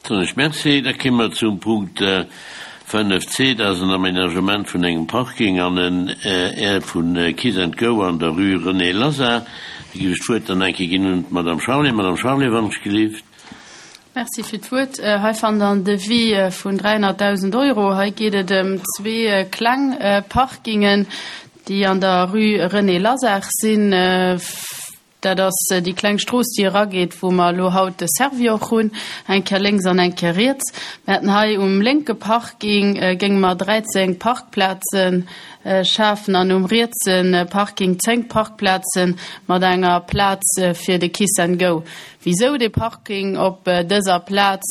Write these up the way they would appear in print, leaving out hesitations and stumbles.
Soen ech Merci. Da kéime mer zum Punkt 5 c, dat ass en Aménagement vun engem Parking an en Aire vu Kiss and Go an der Rue René Lazard. Da géif ech d'Wuert dann eng Kéier ginn un d'Madame Charlé. Madame Charlé, wann ech gelift. Merci fir d'Wuert. Hei fannt Der en Devis vun 300.000 Euro. Hei geet et ëm zwee kleng Parkingen, déi an der Rue René Lazard sinn. Dat ass déi kleng Strooss, déi erageet, wou mer elo haut de Servior hunn, eng Kéier lénks an eng Kéier riets. Mir hätten hei um lénke Parking géinge mer 13 Parkplaze schafen an um rietse Parking 10 Parkplaze mat enger Plaz fir de Kiss and Go. Wisou dee Parking op dëser Plaz?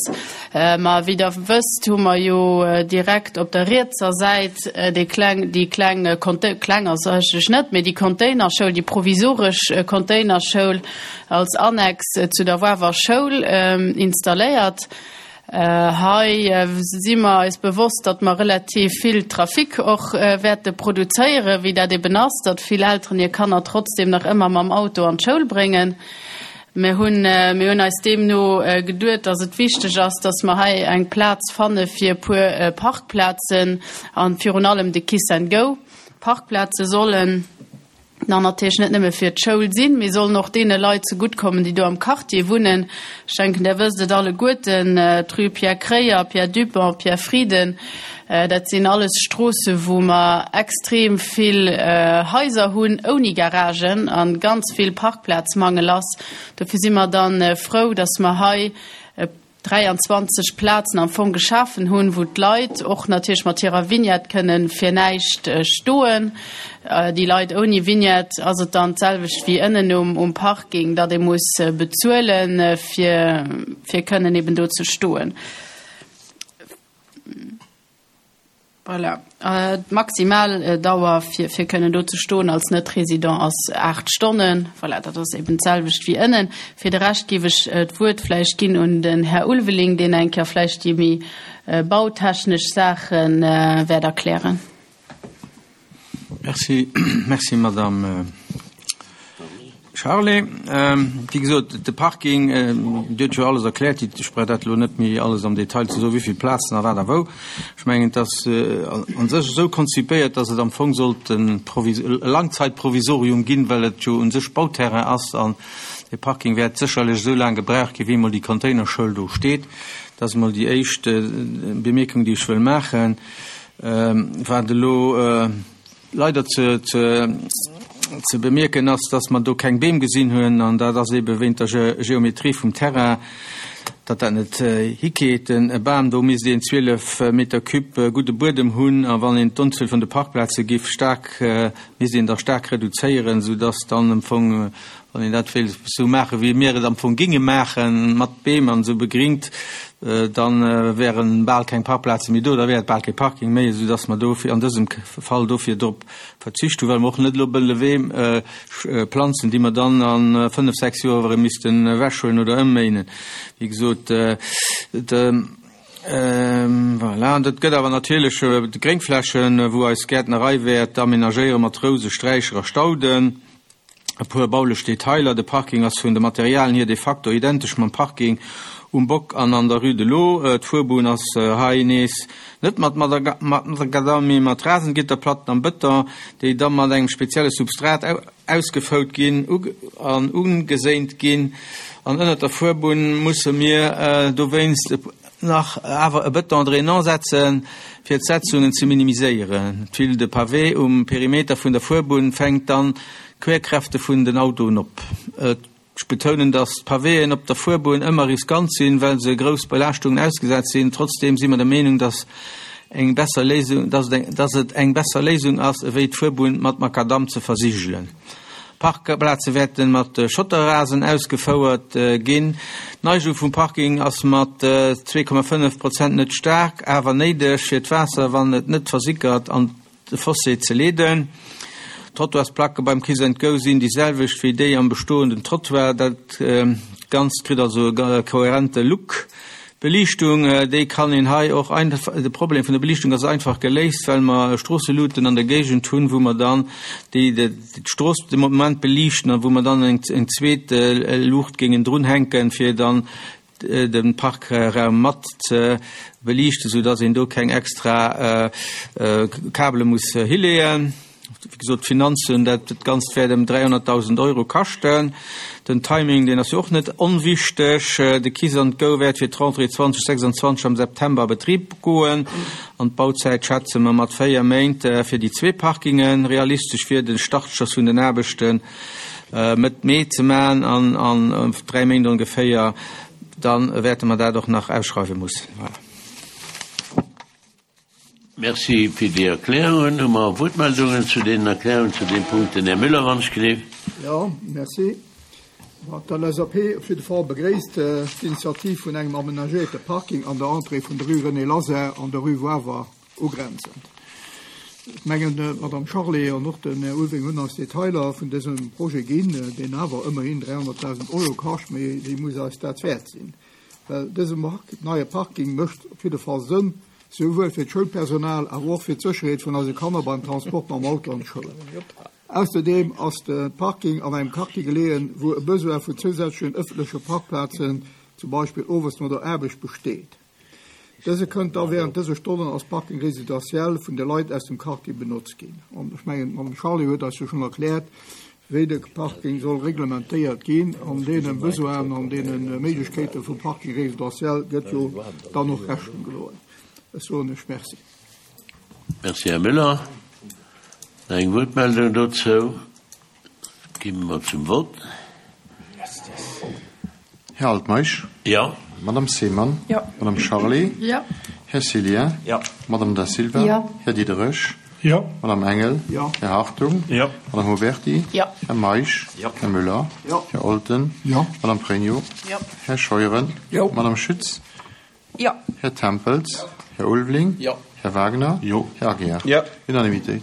Ma wéi der wësst, hu mer jo direkt op der rietser Säit déi kleng, déi kleng Conte-, kleng ass se eigentlech net, mee déi Containerschoul, déi provisoresch Containerschoul als Annex zu der Wawer Schoul installéiert. Hei si mer eis bewosst, datt mer relativ vill Trafic och wäerte produzéieren, wéi dat eben ass, datt vill Elteren hir Kanner trotzdem nach ëmmer mam Auto an d'Schoul bréngen. Mir hunn, mir hunn eis deemno geduet, datt et wichteg ass, datt mer hei eng Plaz fanne fir e puer Parkplazen a virun allem de Kiss and Go. Parkplaze sollen dann natierlech net nëmme fir d'Schoul sinn, mee sollen och deene Leit zeguttkommen, déi do am Quartier wunnen. Ech denken, Der wësst et alleguerten, d'Rue Pierre Kreyer, Pierre Dupong, Pierre Frieden, dat sinn alles Stroosse wou mer extrem vill Haiser hunn ouni Garagen a ganz vill Parkplazmangel ass. Dofir si mer da frou, dass mer hei e 23 Plazen am Fong geschafen hunn, wou d'Leit och natierlech mat hirer Vignette kënnen fir näischt stoen. Déi Leit ouni Vignette ass et dann d'selwecht wéi ënnen um Parking, datt ee muss bezuelen, fir fir kënnen eben do ze stoen. Voilà. D'maximal Dauer fir fir kënnen do ze stoen als Net-Résident ass 8 Stonnen. Voilà, dat ass eben d'selwecht wéi ënnen. Fir de Rescht géif ech d'Wuert vläicht ginn un den Här Ulveling, deen eng Kéier vläicht déi méi bautechnesch Saache wäert erklären. Merci, merci Madame Charlé. Wéi gesot, de Parking, Dir hutt jo alles erkläert, ech brauch dat elo net méi alles am Detail ze soen, wéi vill Plazen a wat a wou. Ech mengen, et ass a sech esou konzipéiert, datt et am Fong sollt e Langzeitprovisorium ginn, well et jo u sech Bauterrain ass an dee Parking wäert sécherlech esou laang gebraucht ginn, wéi emol déi Containerschoul do steet. Dat ass emol déi éischt Bemierkung, déi ech wëll maachen. Wat elo leider ze bemierken ass, dass mer do keng Beem gesinn hunn, an dat ass eebe wéint der Geometrie vum Terrain, datt dat net hikeet. E Bam, do misst een 12 Meter cube gudde Buedem hunn, a wann een d'Unzuel vun de Parkplaze giff staark, misst een da staark reduzéieren, soudass dann am Fong Wann een dat wéilt esou maachen, wéi mir et am Fong géinge maachen, mat Beem an esou begringt, da wäre bal keng Parkplaze méi do, da wär et bal kee Parking méi, esou dass mer dofir an dësem Fall dofir drop verzicht hunn, well mer och net elo wëlle Beem planzen, déi mer dann a fënnf, sechs Joer erëm missten ewechhuelen oder ëmméinen. Wéi gesot, voilà, an et gëtt awer natierlech Gréngflächen, wou eis Gäertnerei wäert amenagéiere mat Rouse, Sträicher a Stauden. E puer baulech Detailer, De Parking ass vun de Materialen hier de facto identesch mam Parking um Bock an an der Rue de l'Eau. D'Fuerbunn ass hei nees net mat Macadam, mee mat Rasengitterplatten am Bëton, déi da mat engem spezielle Substrat ausgefout ginn an ugeséint ginn. An ënnert der Fuerbunn musse mir dowéinst nach awer e Bëton drainant setzen, fir d'Setzungen ze minimiséieren. D'Tuile de pavé um Perimeter vun der Fuerbunn fänkt dann d'Querkräfte vun den Autoen op. Ech betounen, dass d'Pavéen op der Fuerbunn ëmmer riskant sinn, well se grouss Belaaschtungen ausgesat sinn. Trotzdeem si mer der Meenung, dass eng besser Léisung, dass et eng besser Léisung ass, ewéi d'Fuerbunn mat Makadamm ze versigelen. D'Parkplaze wäerte mat Schotterrasen ausgefouert ginn. D'Neigung vum Parking ass mat 2,5 Prozent net staark, awer néideg, fir d'Waasser, wann et net versickert, an de Fossé ze leeden. D'Trottoirsplacke beim Kiss and Go sinn déi selwecht wéi déi am bestoenden Trottoir. Dat Ganzt kritt also e kohärente Look. D'Beliichtung, déi kann een hei och einfach, de Problem vun der Beliichtung ass einfach geléist, well mer Stroosseluuten an der Géigend hunn, wou mer dann déi d'Strooss de Moment beliichten a wou mer dann eng zweet Luucht géingen drunhänken, fir dann. de Parkraum mat ze beliichten, sou dass een do keng extra Kabele muss hileeën. Wéi gesot, d'Finanzen, dat Ganzt wäert ëm 300.000 Euro kaschten. Den Timing, deen ass jo och net onwichteg. De Kiss and Go wäert fir d'Rentrée 2026 am September a Betrib goen an d'Bauzäit schätze mer mat 4 Méint fir déi zwee Parkingen. Realistesch wier de Startschoss vun den Aarbechte Mëtt Mee ze maachen an an 3 Méint ongeféier, da wäerte mer dat och nach ausschreiwe mussen. Voilà. Merci fir déi Erklärungen. Hu mer Wuertmeldungen zu deenen Erklärungen zu deem Punkt? Den Här Müller, wann ech gleef. Jo, merci. D'LSAP op jidde Fall begréisst d'Initiativ vun engem amenagéierte Parking an der Entrée vun der Rue René Laser an der Rue Wawer ugrenzend. Ech mengen, d'Madame Charlé an och den Här Ulveling hunn eis Detailer vun dësem Projet ginn, deen awer ëmmerhin 300.000 Euro kascht, mee dee muss eis dat wäert sinn. Well dëse neie Parking mécht op jidde Fall Sënn, souwuel fir d'Schoulpersonal, awer och fir d'Sécherheet vun eise Kanner beim Transport mam Auto an d'Schoul. Ausserdeem ass de Parking an engem Quartier geleeën, wou e Besoin vun zousätzlechen ëffentleche Parkplazen, zum Beispill owes no der Aarbecht, besteet. Dëse kënnt da während dëse Stonnen als Parking résidentiel vun de Leit aus dem Quartier benotzt ginn. An ech mengen, d'Madame Charlé huet eis jo schonn erkläert, wéi de Parking soll reglementéiert ginn. An deene Besoinen an deene Méiglechkeete vum Parking résidentiel gëtt jo dann och Rechnung geloen. Ech soen lech Merci. Merci, Här Müller. Nach eng Wuertmeldung dozou? Gi mer zum Vott. Här Altmeisch. Jo. Madame Seemann. Jo. Madame Charlé. Jo. Här Cillien. Jo. Madame Da Silva. Jo. Här Diderich. Jo. Madame Engel. Jo. Här Hartung. Jo. Madame Huberty. Jo. Här Meisch. Jo. Här Müller. Jo. Här Olten. Jo. Madame Pregno. Jo. Här Scheuren. Jo. Madame Schütz. Jo. Här Tempels. Här Ulveling. Jo. Här Wagner. Jo. Här Aguiar. Jo. Unanimitéit.